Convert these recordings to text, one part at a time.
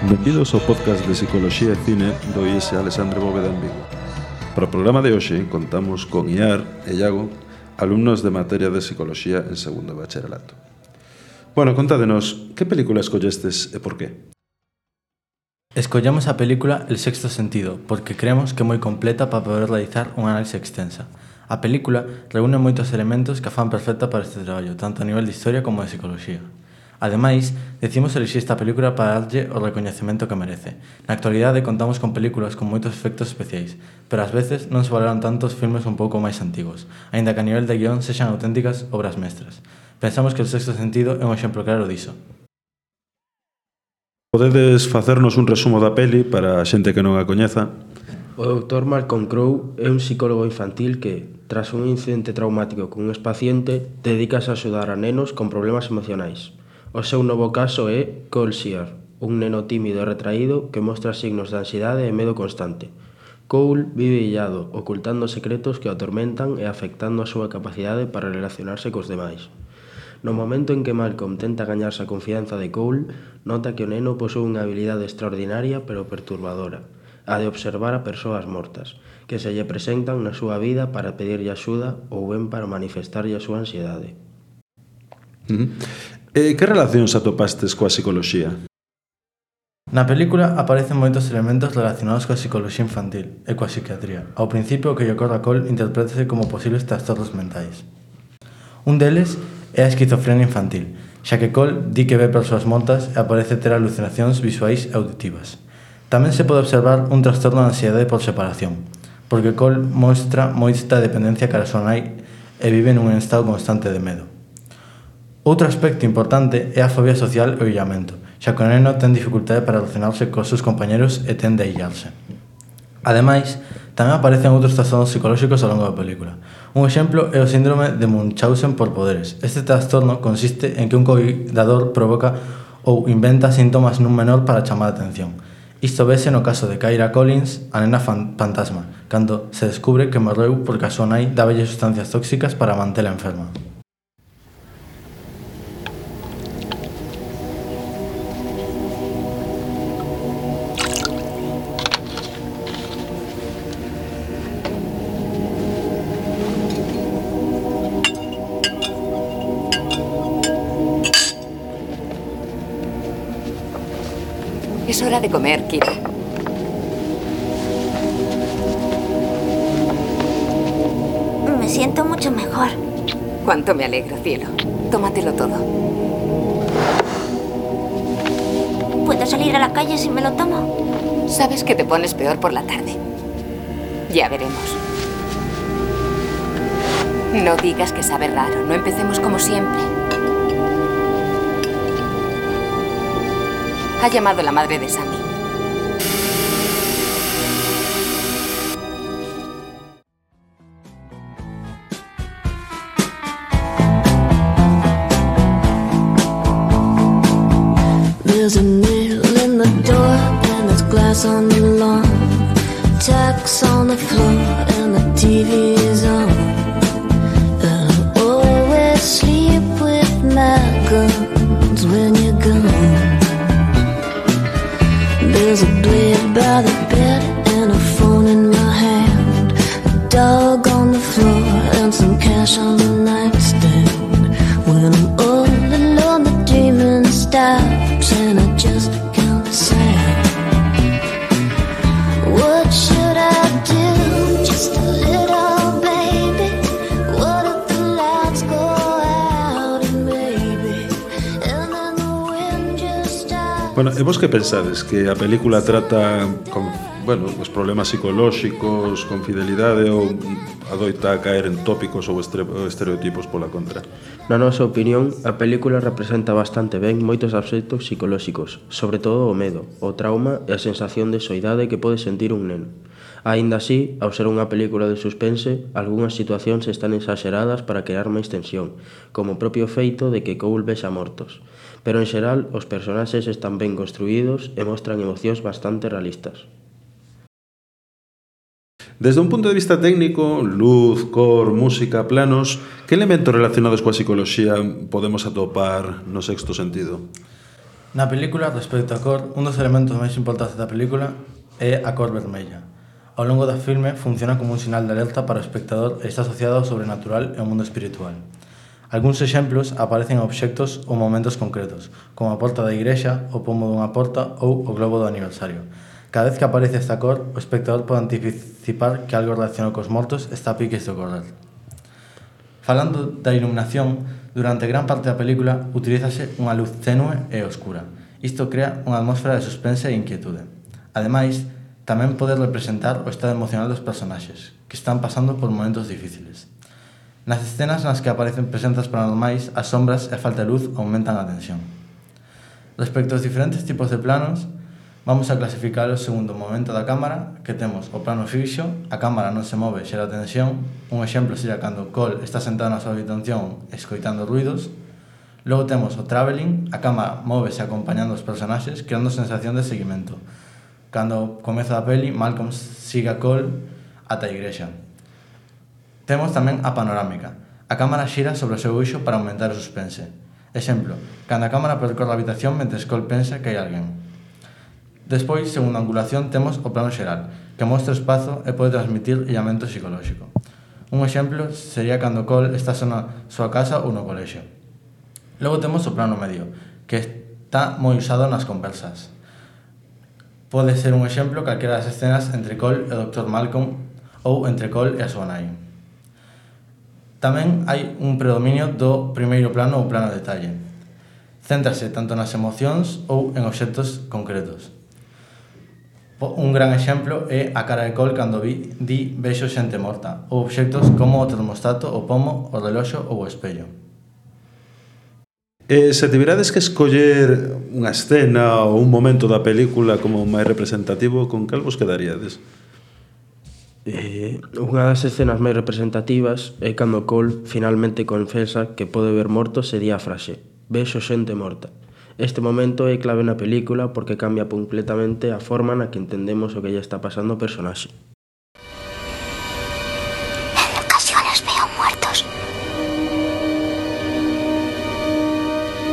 Benvidos ao podcast de Psicoloxía e Cine do IES Alexandre Bóveda en Vigo. Para o programa de hoxe contamos con Iar e Iago, alumnos de materia de Psicoloxía en segundo bacharelato. Bueno, contádenos, que película escollestes e por qué? Escollamos a película El sexto sentido porque creemos que é moi completa para poder realizar unha análise extensa. A película reúne moitos elementos que a fan perfecta para este traballo, tanto a nivel de historia como de psicoloxía. Ademais, decidimos elixir esta película para darlle o recoñecemento que merece. Na actualidade contamos con películas con moitos efectos especiais, pero ás veces non se valoran tanto os filmes un pouco máis antigos, aínda que a nivel de guión sexan auténticas obras mestras. Pensamos que El sexto sentido é un exemplo claro diso. Podedes facernos un resumo da peli para a xente que non a coñeza? O Dr. Malcolm Crowe é un psicólogo infantil que, tras un incidente traumático con un expaciente, dedícase a axudar a nenos con problemas emocionais. O seu novo caso é Cole Sear, un neno tímido e retraído que mostra signos de ansiedade e medo constante. Cole vive illado, ocultando secretos que o atormentan e afectando a súa capacidade para relacionarse cos demais. No momento en que Malcolm tenta gañarse a confianza de Cole, nota que o neno posúe unha habilidade extraordinaria pero perturbadora, a de observar a persoas mortas, que se lle presentan na súa vida para pedirlle axuda ou ben para manifestarlle a súa ansiedade. Que relacións atopastes coa psicoloxía? Na película aparecen moitos elementos relacionados coa psicoloxía infantil e coa psiquiatría. Ao principio, o que lle ocorre a Cole interprétase como posibles trastornos mentais. Un deles é a esquizofrenia infantil, xa que Cole di que ve persoas mortas e aparece ter alucinacións visuais e auditivas. Tamén se pode observar un trastorno de ansiedade por separación, porque Cole mostra moita dependencia cara a súa nai e vive nun estado constante de medo. Outro aspecto importante é a fobia social e o illamento, xa que o neno ten dificultade para relacionarse cos seus compañeros e tende a illarse. Ademais, tamén aparecen outros trastornos psicolóxicos ao longo da película. Un exemplo é o síndrome de Munchausen por poderes. Este trastorno consiste en que un cuidador provoca ou inventa síntomas nun menor para chamar a atención. Isto vese no caso de Kyra Collins, a nena fantasma, cando se descubre que morreu porque a súa nai dáballe sustancias tóxicas para mantela enferma. Es hora de comer, Kira. Me siento mucho mejor. Cuánto me alegro, cielo. Tómatelo todo. ¿Puedo salir a la calle si me lo tomo? Sabes que te pones peor por la tarde. Ya veremos. No digas que sabe raro. No empecemos como siempre. Ha llamado la madre de Sammy. There's a nail in the door and there's glass on the lawn, tacks on the floor and the TV is on. And I always sleep with my guns when you're gone. There's a blade by the bed and a phone in my hand, a dog on the floor and some cash on the nightstand. When I'm all alone the dreaming stops and I just count sand. What should I do? Just a little baby. What if the lights go out and maybe and then the wind just stops. Bueno, e vos que pensades? Que a película trata con, os problemas psicolóxicos, con fidelidade ou adoita a caer en tópicos ou estereotipos pola contra? Na nosa opinión, a película representa bastante ben moitos aspectos psicolóxicos, sobre todo o medo, o trauma e a sensación de soidade que pode sentir un neno. Aínda así, ao ser unha película de suspense, algunhas situacións están exageradas para crear máis tensión, como o propio feito de que Cole vexa mortos. Pero en xeral, os personaxes están ben construídos e mostran emocións bastante realistas. Desde un punto de vista técnico, luz, cor, música, planos, que elementos relacionados coa psicoloxía podemos atopar no sexto sentido? Na película, respecto á cor, un dos elementos máis importantes da película é a cor vermella. Ao longo do filme funciona como un sinal de alerta para o espectador e está asociado ao sobrenatural e ao mundo espiritual. Algúns exemplos aparecen a obxectos ou momentos concretos, como a porta da igrexa, o pomo dunha porta ou o globo do aniversario. Cada vez que aparece esta cor, o espectador pode anticipar que algo relacionado cos mortos está a piques de ocorrer. Falando da iluminación, durante gran parte da película utilízase unha luz tenue e oscura. Isto crea unha atmósfera de suspense e inquietude. Ademais, tamén pode representar o estado emocional dos personaxes, que están pasando por momentos difíciles. Nas escenas nas que aparecen presentas paranormais, as sombras e a falta de luz aumentan a tensión. Respecto aos diferentes tipos de planos, vamos a clasificalos segundo o momento da cámara, que temos o plano fixo, a cámara non se move, xera tensión. Un exemplo sería cando Cole está sentado na súa habitación escoitando ruidos. Logo temos o travelling, a cámara móvese acompañando os personaxes, creando sensación de seguimento. Cando comeza a peli, Malcolm sigue a Cole ata a igrexa. Temos tamén a panorámica. A cámara xira sobre o seu eixo para aumentar o suspense. Exemplo, cando a cámara percorre a habitación mentres Cole pensa que hai alguén. Despois, segundo a angulación, temos o plano xeral, que mostra o espazo e pode transmitir illamento psicolóxico. Un exemplo sería cando Cole está na súa casa ou no colexio. Logo temos o plano medio, que está moi usado nas conversas. Pode ser un exemplo calquera das escenas entre Cole e o Dr. Malcolm ou entre Cole e a súa nai. Tamén hai un predominio do primeiro plano ou plano detalle. Céntrase tanto nas emocións ou en obxectos concretos. Un gran exemplo é a cara de Cole cando di vexo xente morta, ou obxectos como o termostato, o pomo, o reloxo ou o espello. Se tiverades que escoller unha escena ou un momento da película como máis representativo, con cal vos quedaríades? Unha das escenas máis representativas é cando Cole finalmente confesa que pode ver mortos e di a frase "vexo xente morta". Este momento é clave na película porque cambia completamente a forma na que entendemos o que lle está pasando ao personaxe. En ocasiones veo muertos.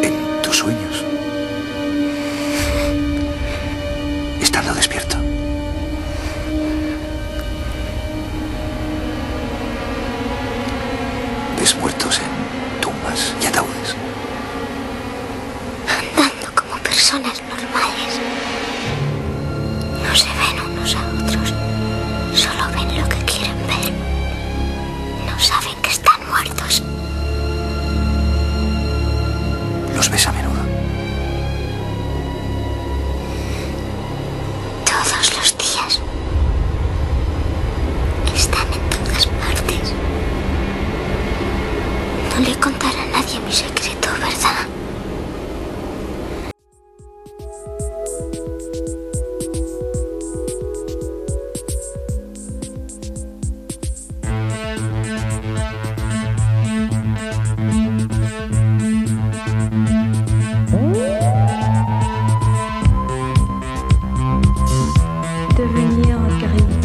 En tus sueños. Estando despierto. ¿Ves muertos en tumbas y ataúdes? Andando como personas normales. No se ven unos a otros. Solo ven lo que quieren ver. No saben que están muertos. ¿Los ves a menudo? Todos los días. Están en todas partes. No le contaré a nadie mi secreto, ¿verdad? Devenir Karine.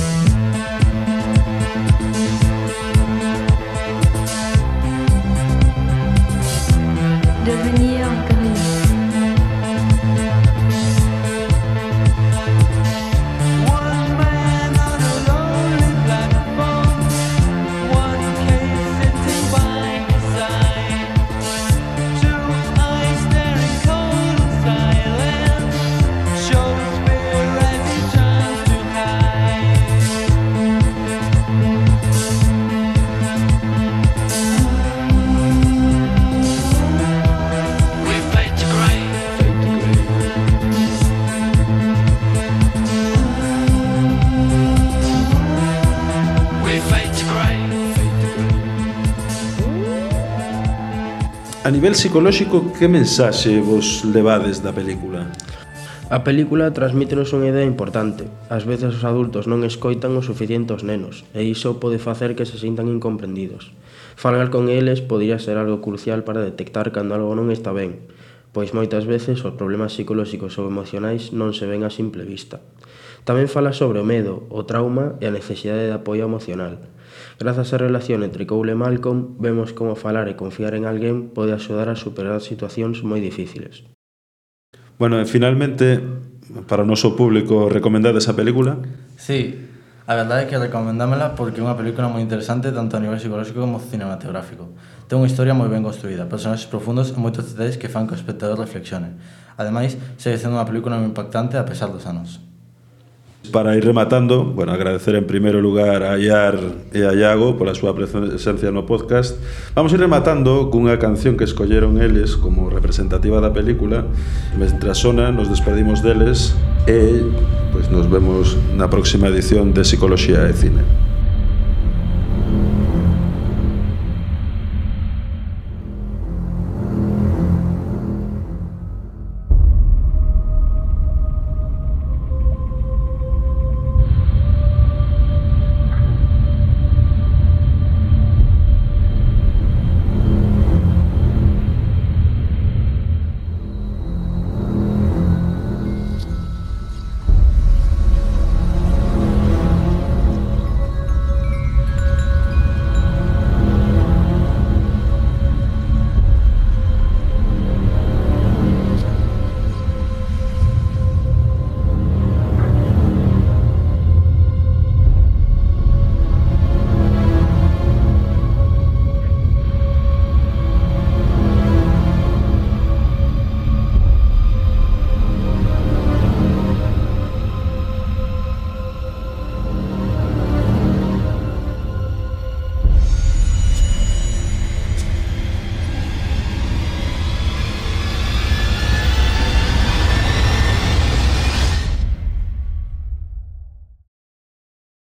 Devenir Karine. A nivel psicolóxico, que mensaxe vos levades da película? A película transmítenos unha idea importante. Ás veces os adultos non escoitan o suficiente aos nenos, e iso pode facer que se sintan incomprendidos. Falar con eles podría ser algo crucial para detectar cando algo non está ben, pois moitas veces os problemas psicolóxicos ou emocionais non se ven a simple vista. Tamén fala sobre o medo, o trauma e a necesidade de apoio emocional. Grazas á relación entre Cole e Malcolm, vemos como falar e confiar en alguén pode axudar a superar situacións moi difíciles. Bueno, e finalmente, para o noso público, recomendade esa película? Sí, a verdade é que recomendámela porque é unha película moi interesante tanto a nivel psicolóxico como cinematográfico. Ten unha historia moi ben construída, personaxes profundos e moitos detalles que fan que o espectador reflexione. Ademais, segue sendo unha película moi impactante a pesar dos anos. Para ir rematando, bueno, agradecer en primeiro lugar a Iar e a Iago pola súa presencia no podcast. Vamos ir rematando cunha canción que escolleron eles como representativa da película. Mentras sona, nos despedimos deles e pois nos vemos na próxima edición de Psicoloxía e Cine.